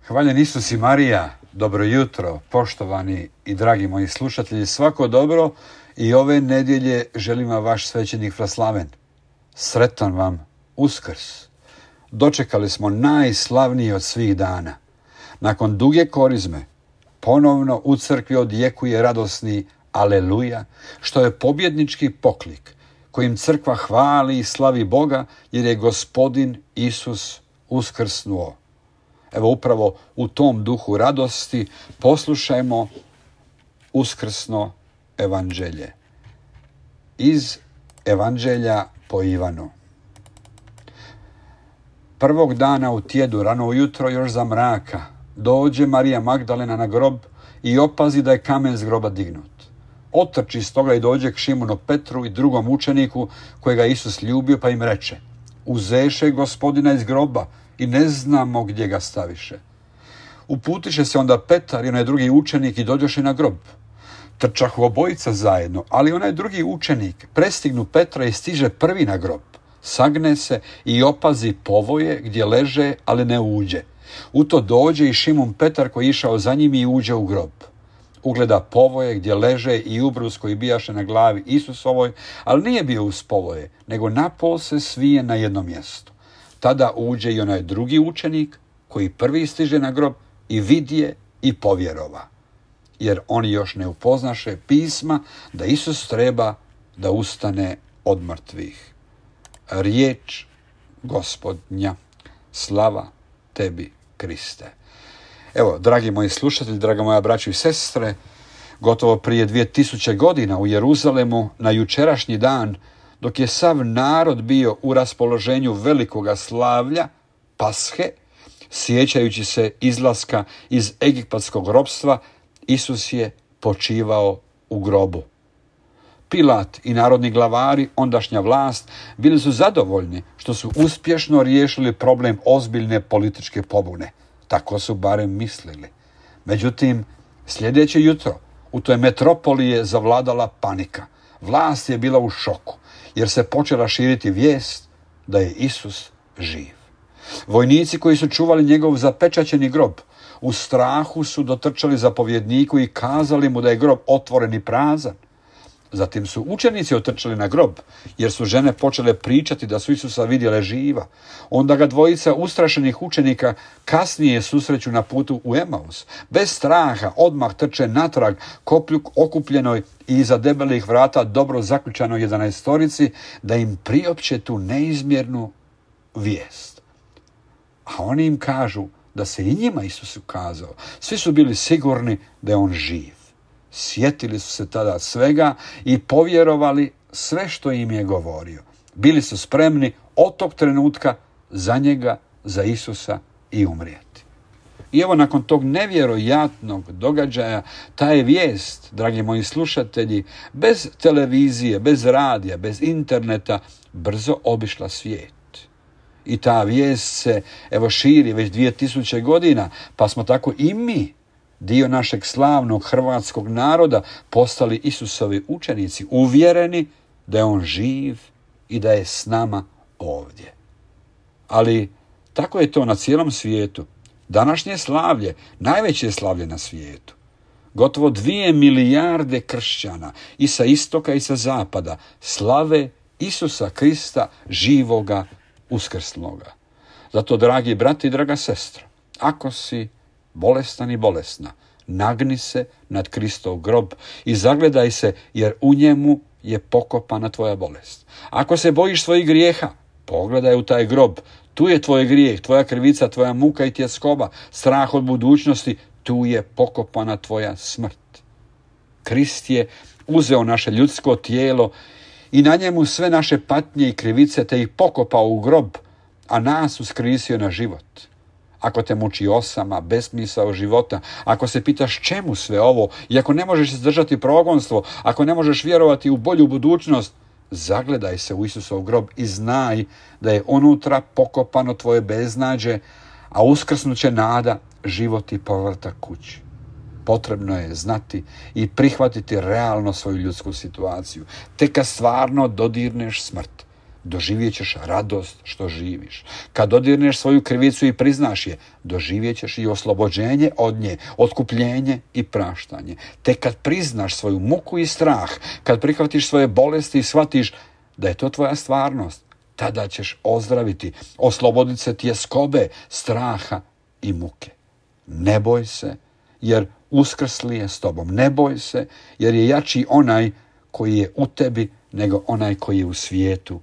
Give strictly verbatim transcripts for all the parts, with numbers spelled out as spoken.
Hvaljen Isus i Marija, dobro jutro, poštovani i dragi moji slušatelji, svako dobro i ove nedjelje želim vam vaš svećenik Vraslaven. Sretan vam Uskrs. Dočekali smo najslavniji od svih dana. Nakon duge korizme, ponovno u crkvi odjekuje radosni Aleluja, što je pobjednički poklik kojim crkva hvali i slavi Boga jer je Gospodin Isus uskrsnuo. Evo upravo u tom duhu radosti poslušajmo uskrsno evanđelje. Iz Evanđelja po Ivanu. Prvog dana u tjedu, rano ujutro, još za mraka, dođe Marija Magdalena na grob i opazi da je kamen s groba dignut. Otrči stoga i dođe k Šimonu Petru i drugom učeniku kojega Isus ljubio, pa im reče: Uzeše Gospodina iz groba i ne znamo gdje ga staviše. Uputiše se onda Petar i onaj drugi učenik i dođoše na grob. Trčahu obojica zajedno, ali onaj drugi učenik prestignu Petra i stiže prvi na grob. Sagne se i opazi povoje gdje leže, ali ne uđe. U to dođe i Šimun Petar koji je išao za njim i uđe u grob. Ugleda povoje gdje leže i ubrus koji bijaše na glavi Isusovoj, ali nije bio uz povoje, nego napol se svije na jednom mjestu. Tada uđe i onaj drugi učenik koji prvi stiže na grob i vidje i povjerova. Jer oni još ne upoznaše pisma da Isus treba da ustane od mrtvih. Riječ Gospodnja, slava tebi, Kriste. Evo, dragi moji slušatelji, draga moja braćo i sestre, gotovo prije dvije tisuće godina u Jeruzalemu na jučerašnji dan, dok je sav narod bio u raspoloženju velikoga slavlja, Pashe, sjećajući se izlaska iz egipatskog ropstva, Isus je počivao u grobu. Pilat i narodni glavari, ondašnja vlast, bili su zadovoljni što su uspješno riješili problem ozbiljne političke pobune. Tako su barem mislili. Međutim, sljedeće jutro u toj metropoli je zavladala panika. Vlast je bila u šoku, jer se počela širiti vijest da je Isus živ. Vojnici koji su čuvali njegov zapečaćeni grob, u strahu su dotrčali zapovjedniku i kazali mu da je grob otvoren i prazan. Zatim su učenici otrčali na grob, jer su žene počele pričati da su Isusa vidjele živa. Onda ga dvojica ustrašenih učenika kasnije susreću na putu u Emaus. Bez straha odmah trče natrag koplju okupljenoj i iza debelih vrata dobro zaključanoj jedanaestorici da im priopće tu neizmjernu vijest. A oni im kažu da se i njima Isus ukazao. Svi su bili sigurni da je on živ. Sjetili su se tada svega i povjerovali sve što im je govorio. Bili su spremni od tog trenutka za njega, za Isusa i umrijeti. I evo nakon tog nevjerojatnog događaja, ta je vijest, dragi moji slušatelji, bez televizije, bez radija, bez interneta, brzo obišla svijet. I ta vijest se evo širi već dvije tisuće godina, pa smo tako i mi, dio našeg slavnog hrvatskog naroda, postali Isusovi učenici, uvjereni da je on živ i da je s nama ovdje. Ali tako je to na cijelom svijetu. Današnje slavlje, najveće slavlje na svijetu. Gotovo dvije milijarde kršćana i sa istoka i sa zapada slave Isusa Krista živoga, uskrsloga. Zato, dragi brati i draga sestra, ako si bolestan i bolesna, nagni se nad Kristov grob i zagledaj se, jer u njemu je pokopana tvoja bolest. Ako se bojiš svojih grijeha, pogledaj u taj grob. Tu je tvoj grijeh, tvoja krivica, tvoja muka i tjeskoba, strah od budućnosti, tu je pokopana tvoja smrt. Krist je uzeo naše ljudsko tijelo i na njemu sve naše patnje i krivice te ih pokopao u grob, a nas uskrisio na život. Ako te muči osama, besmisao života, ako se pitaš čemu sve ovo i ako ne možeš izdržati progonstvo, ako ne možeš vjerovati u bolju budućnost, zagledaj se u Isusov grob i znaj da je unutra pokopano tvoje beznađe, a uskrsnuće nada, život i povratak kući. Potrebno je znati i prihvatiti realno svoju ljudsku situaciju. Tek kad stvarno dodirneš smrt, doživjet ćeš radost što živiš. Kad dodirneš svoju krivicu i priznaš je, doživjet ćeš i oslobođenje od nje, otkupljenje i praštanje. Te kad priznaš svoju muku i strah, kad prihvatiš svoje bolesti i shvatiš da je to tvoja stvarnost, tada ćeš ozdraviti, osloboditi se tjeskobe, straha i muke. Ne boj se, jer uskrsli je s tobom. Ne boj se, jer je jači onaj koji je u tebi nego onaj koji je u svijetu.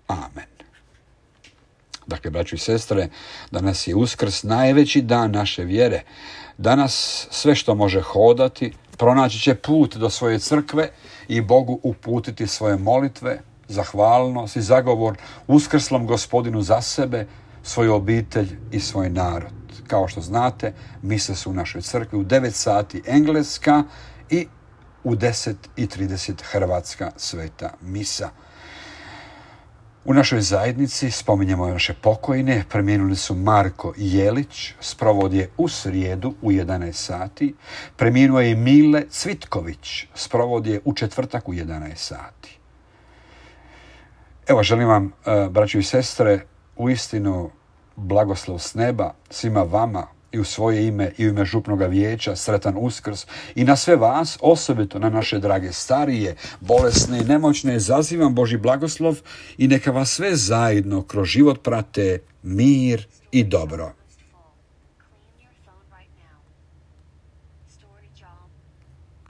Amen. Dakle, braćo i sestre, danas je Uskrs, najveći dan naše vjere. Danas sve što može hodati, pronaći će put do svoje crkve i Bogu uputiti svoje molitve, zahvalnost i zagovor uskrslom Gospodinu za sebe, svoju obitelj i svoj narod. Kao što znate, mise su u našoj crkvi u devet sati engleska i u deset i trideset hrvatska sveta misa. U našoj zajednici spominjemo naše pokojne. Preminuli su Marko Jelić, sprovod je u srijedu u jedanaest sati. Preminuo je Mile Cvitković, sprovod je u četvrtak u jedanaest sati. Evo, želim vam, braćo i sestre, uistinu blagoslov s neba svima vama i u svoje ime i u ime župnoga vijeća, sretan Uskrs, i na sve vas, osobito na naše drage starije, bolesne i nemoćne, zazivam Božji blagoslov i neka vas sve zajedno kroz život prate mir i dobro.